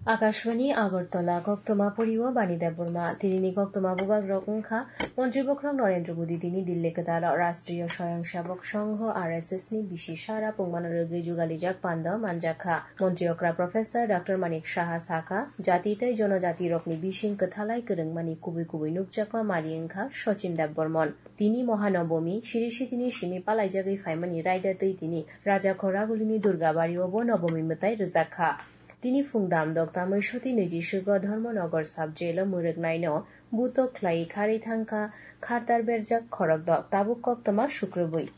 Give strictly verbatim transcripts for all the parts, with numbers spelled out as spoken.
Akashvani Agartala, koktwma poriwo Bani Debbarma. Tinini koktwma bubagrok wngkha, Montri Bokhorok Narendra Modi tini Delhi kwtalo Rashtriya Swayamsevak Sangho, R S S ni bisi sara pungmano rwgwi jugalijak panda manjakha. Montri okra Professor Doctor Manik Saha sakha, jati tei jonojatirokni bising kwthalai kwrwngmani kubui kubui nukjakma mari wngkha Sachin Debbarman. Tini Mohanobomi, Siri Sitini simi palaijagwi phaimani raida twi tini Raja Khoragulini Durga Bario bo Nobomi mwtai rwjakha. Tini phung dam dok tamwi soti niji sugo Dharmanagar sub jail o mwrwknaino buto khlai kharwi thangkha khartar berjak khorok dok, tabuk koktwma sukrubwi.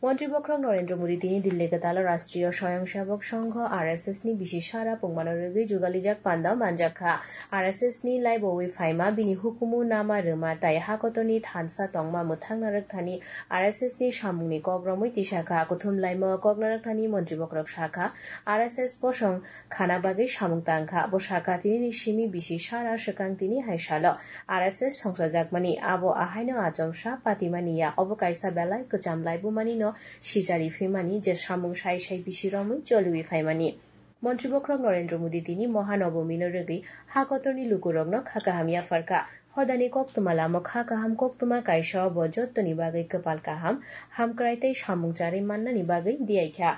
Montri Bokhorok Narendra Modi tini Delhi kwtalo Rashtriya Swayamsevak Sangho, R S S ni bisi sara pungmano rwgwi jugalijak panda manjakha. R S S ni laibowi phaima bini hukumu nama rwma tai hakotorni thansa tongma mwthang narwkthani R S S ni samungni kok romwi tisakha. Kuthum laima kok narwkthani Montri Bokhorok sakha, R S S bosong khana bagwi samung tangkha. Bo sakha, tinini simi bisi sara swkang tini hai salo R S S songchajakmani, abo ahaino achomsa patimani ya, obo kaisa belai kwcham laibumanino sijari phimani, je samung sai sai bisi romwi choliwi phaimani. Montri Bokhorok Narendra Modi tini Mohanobomino rwgwi hakotorni lukurokno kha kaham yapharkha. Hodani koktwma lamo kha kaham koktwma kaisa obo jottoni bagwi kwpal kaham, hamkrai tei samung charwi mannani bagwi diyaikha.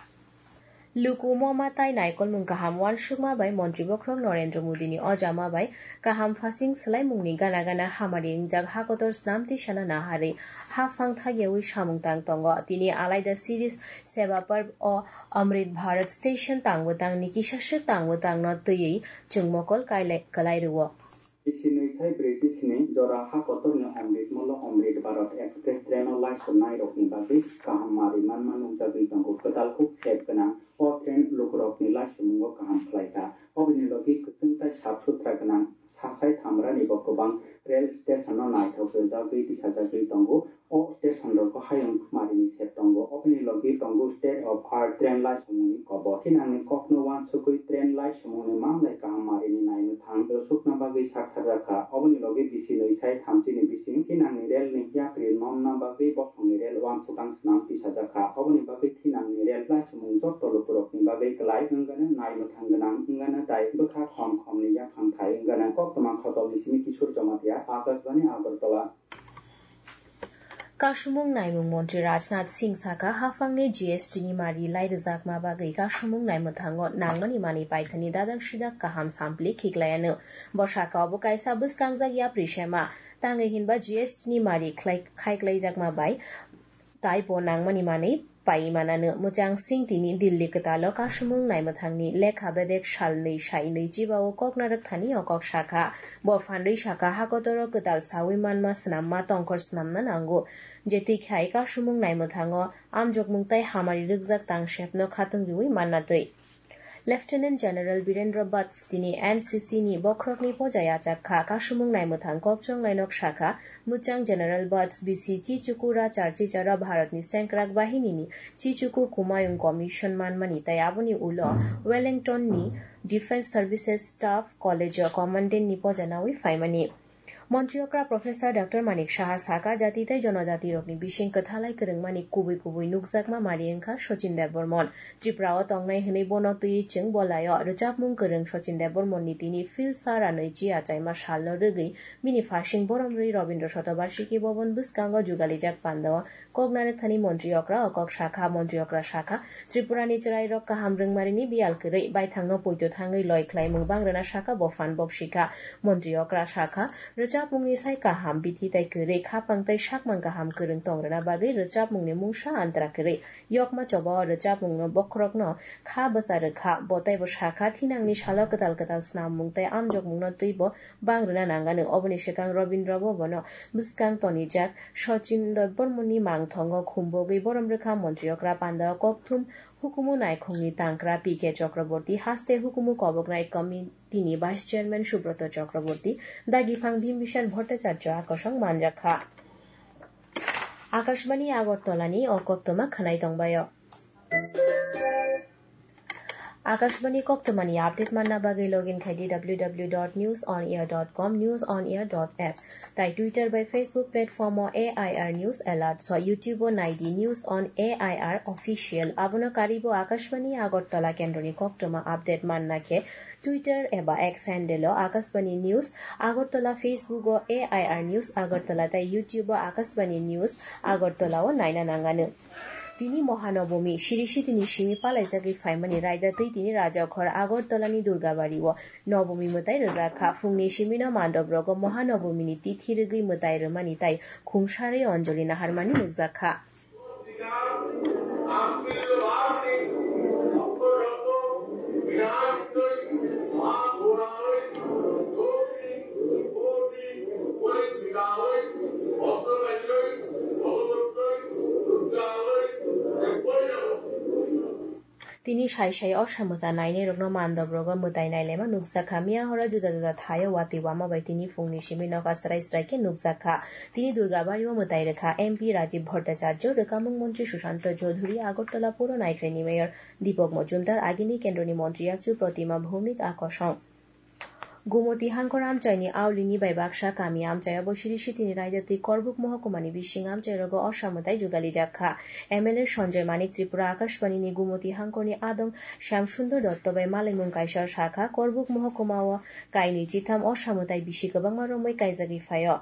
Luku moma tai naikolmung kaham uansukma bai Montri Bokhorok Narendra Modini ojama bai kaham phasing swlaimungni gana gana hamari wngjak hakotor snam tisana naharwi haphang thagyawi samung tang tongo. Tini alaida series Seva Parv o Amrit Bharat Station tangbo tangni kisaswk tangbo tangno twiwi chwng mokol kailai-, kwlai rwo. Bisi nwi sai brwi chi sni jora ha kotorni Amrit Molo Amrit Bharat Express train o laisonnairokni bagwi kaham mari manma nukjagwi tongo. Kwtal kuk sep gwnang o train lukurokni laisomungo kaham khlaikha. Oboni logi kwchwng tai sap sutra gwnang sasai thamrani bo kwbang rail station no naithok rwjagwi tisajagwi tongo. O station rogo hayung marini sep tongo. Oboni logi tongo state of art train laisomungni kobor. Thinangni kokno uansukwi train laisomungni manlai kaham marini naimwthang rwsukna bagwi saktharjakha. Oboni logi bisi nwi sai thamchini bising thinangni railni yapri nonna bagwi bosongni rail uansukang swnam tisajakha. Oboni bagwi thinangni rail laisomung jotto lukurokni bagwi kwlai wngano naimwthang gwnang wngano tai bwkha khom khomni yaphang thai wngano. Koktwma khotolni simi Kishore Jamatia, Akashbani Agartala. Kasumung naimung montri Rajnath Singh saka, haphangni G S T ni mari lai rwjakma bagwi kasumung naimwthango nangmani manwi paithani dadang sidak kaham sampli khiklaiano. Bo saka, obo kaisa bwskangjak yapri sema, tangwi hinba G S T ni mari khlai-, khaiklaijakma bai taibo nangmani manwi paiwi manano. Mwchang Singh tini Delhi kwtalo kasumung naimwthangni lekha bedek sal nwi sai nwi chibao kok narwk thani o kok sakha. Bo phanrwi sakha, hakotoro kwtal sawi manma swnamma tongkhor swnamna nango. Jetwi khai kasumung naimwthango amjokmung tai hamari rwkjak tangsepno khatung riwi manna twi. Lieutenant General Birendra Bats tini N C C ni bokhorokni poja yachak kha. Kasumung naimwthang kokchong lainok sakha, mwchang General Bats bisi Chichuku Rachar Chichara Bharatni sengkrak bahinini Chichuku Kumayung Commission manmani tai aboni ulo Wellington ni Defence Services Staff College o Commandant ni poja nawi phaimani. Montri okra Professor Doctor Manik Saha saka, jati tei jonojati rokni bising kwthalai kwrwngmani kubui kubui nukjakma mari wngkha Sachin Debbarman. Tripura o tongnai hwnwi bono twiwi chwng bolaio. Rwchapmung kwrwng Sachin Debbarman ni tini Phil Sara nwi chi achaima salno rwgwi bini phasing borom rwi Rabindra Shatobarshiki Bhavan bwskango jugalijak pandao. Kok narwkthani montri okra o kok sakha, montri okra sakha, Tripurani chwrairok kaham rwngmarini biyal kwrwi, baithangno poito thangwi loi khlaimung bang rwna sakha bo phan bok sikha. Montri okra sakha, rwchapmungni sai kaham bithi tai kwrwi, khapang tai sakmang kaham kwrwng tong rwna bagwi rwchapmungni mungsa antra kwrwi. Yokma choba o rwchapmungno bokhorokno kha bwsa rwkha, bo taibo sakha, thinangni salo kwtal kwtal snamung tai amjokmungno twibo bang rwna nangano. Oboni swkang Rabindra Bhavan o bwskang tonijak Sachin Debbarmani mangthongo khumbogwi borom rwkha montri okra pandao kokthum hukumu naikhungni tangkra P K Chakraborty, haste hukumu koboknai committee ni vice chairman Subroto Chakraborty, dagiphang Bhimbishan Bhattacharya akosong manjakha. Akashbani Agartala ni o koktwma khwnai tongbaio. Akashbani koktwmani update manna bagwi login khai di w w w dot news on air dot com, news on air dot app. Tai Twitter bai Facebook platform o A I R News Alert so, YouTube o nai di News on A I R Official. Abono karibo Akashbani Agartala kendroni koktwma update manna khe Twitter eba X handle o Akashbani News Agartala, Facebook o A I R News Agartala tai YouTube o Akashbani News Agartala o naina nangano. Tini Mohanobomi, siri sitini simi palaijagwi phaimani raida twi tini Rajakhor Agartalani Durgabari o Nobomi mwtai rwjak kha. Phungni simino mandop rogo Mohanobomini tithi rwgwi mwtai rwmani tai khumsarwi Anjali naharmani nukjak kha. Tini sai sai o samwta nainairokno mandop rogo mwtai nailaima nukjak kha. Miya horo juda juda thaio watwi wama bai tini phungni simi nokha srai srai khe nukjak kha. Tini Durgabari o mwtai rwkha M P Rajiv Bhattacharya, rwkamung montri Sushanta Chaudhuri, Agartala Puro Naikrani Mayor Deepak Majumdar, agini kendroni montri yakchu Pratima Bhowmik a kosong. Gumoti Hangkor amchaini aulini bai baksa kami amchai o bo siri sitini raida twi Korbuk mohokumani bising amchai rogo osa mwtai jugalijak kha. M L A Sanjay Manik Tripura Akashbani ni Gumoti Hangkorni adong Shyam Sundar Dotto bai malaimung kaisa sakha, Korbuk mohokuma o kainwi chitham osa mwtai bisi kwbangma romwi kaijagwi phaio.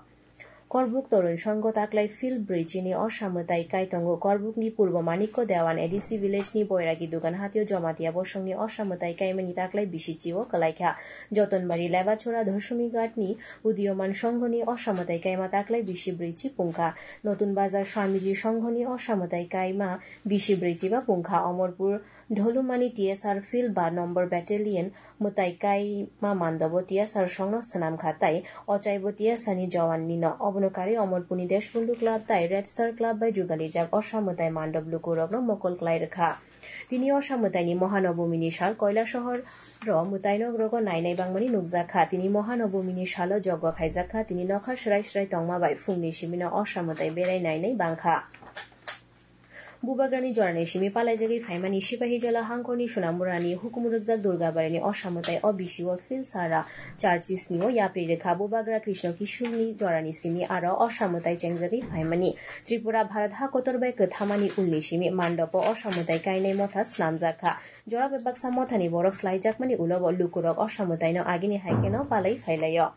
Korbuk Torun Songho taklai field bridge ni osa mwtai kai tongo. Korbuk ni Purbo Manikko Dewan A D C village ni Boiragi Dugan hatio Jamatia bosong ni osa mwtai kaimani taklai bisi chi o kwlai kha. Jotonbari Lebachora Dhoshomighat ni Udiyoman Songho ni osa mwtai kaima taklai bisi brwi chi pungkha. Notun Bazar Swamiji Songho ni osa mwtai kaima bisi brwi chi ba pungkha. Omorpur Dholumani T S R Field ba Number Battalion mwtai kaima mandobo T S R songno swnam kha tai ochaibo T S R ni Jawan nino. Obono karwi Omorpurni Deshbandhu Club tai Red Star Club bai jugalijak osa mwtai mandop lukurokno mokol klai rwkha. Tini osa mwtaini Mohanobomini sal Koilasohor ro mwtaino rogo nainai bangmani nukjak kha. Tini Mohanobomini salo jogwa khaijak kha. Tini nokha srai srai tongma bai phungni simino osa mwtai berai nainai bangkha. Bubagrani jorani simi palaijagwi phaimani Sipahijola hangkorni Sunamurani hukum rwkjak Durgabarini osa mwtai o bisio Phil Sara Churches ni o yapri rwkha. Bubagra Krishna Kishulni jorani simi aro osa mwtai chengjagwi phaimani Tripura Bharat ha kotor bai kwthamani ulni simi mandopo osa mwtai kainai motha snamjak kha. Jora bai baksa mothani borok slaijakmani ulo bo lukurok osa mwtaino agini hai kheno palai phailaio.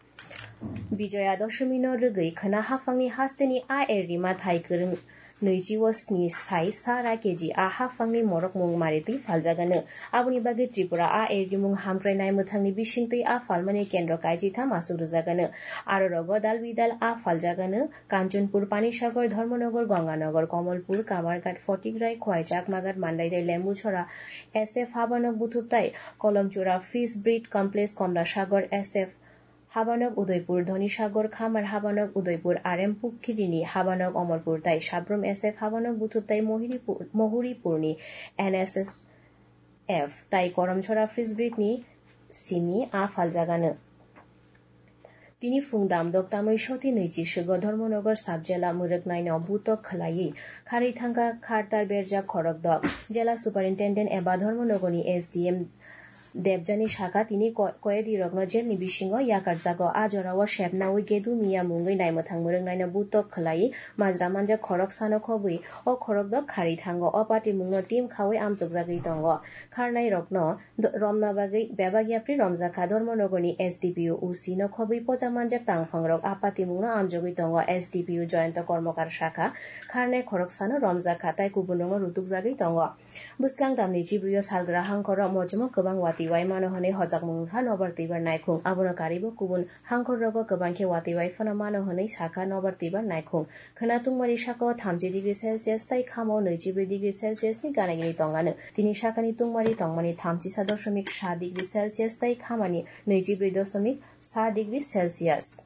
Bijoya Doshomino rwgwi khwna haphangni hasteni a er rima thai kwrwng nwichi o sni sai sara keji a haphangni morok mung maritwi phaljagano. Aboni bagwi Tripura a er rimung hamkrai naimwthangni bisingtwi a phalmani kendro kaijitham aswk rwjagano. Aro rogo dal bidal a phaljagano Kanchanpur, Panisagar, Dharmanagar, Ganganagar, Kamalghat, Photograi, Khowai, Chakmaghat, Mandai tei Lembuchora S F Habanok Buthuptai, Kolomchura Fish Breed Complex, Komlasagar S F Habanok Udaipur, Dhonisagar Khamar Habanok Udaipur, R M Pukhirini Habanok Omorpur tai Sabrum S F Habanok Buthuptai Mohiripur-, Mohuripurni N S S F tai Koromchora Fish Breed ni simi a phaljagano. Tini phung damdok tamwi soti nwichi swgo Dharmanagar sub jela mwrwknaino butok khwlaiwi kharwi thangkha khartar berjak khorokdok. Jela Superintendent eba Dharmanagarni S D M Debjani sakha tini ko-, koyedirokno jelni bisingo yakarjago. A jorao sepnawi Gedu Miya mungwi naimwthang mwrwknaino butok khwlaiwi majra manjak khoroksano khobwi o khorokdok kharwi thango. O patimungno team khawi amchukjagwi tongo. Kharnairokno do-, romna bagwi bebak yapri romjak kha. Dharmanagarni S D P O, O C no khobwi poja manjak tangphangrok a patimungno amjogwi tongo. S D P O Jayanta Kormokar sakha, kharnai khoroksano romjak kha, tai kubunrokno rutukjagwi tongo. Bwskang tamni chibrwi o salgra hangkhoro mochimo kwbang watwi wai mano hwnwi hojakmung wngkha Nobar Twibar Naikhung. Abono karibo kubun hangkhorrogo kwbang khe watwi wai phano mano hwnwi sakha Nobar Twibar Naikhung. Khwna tungmari sakao thamchi degree Celsius tai khamo nwichibrwi degree Celsius ni gana gini tongano. Tini sakani tungmari tongmani thamchisa dosomik sa degree Celsius tai khamani nwichibrwi dosomik sa degree Celsius.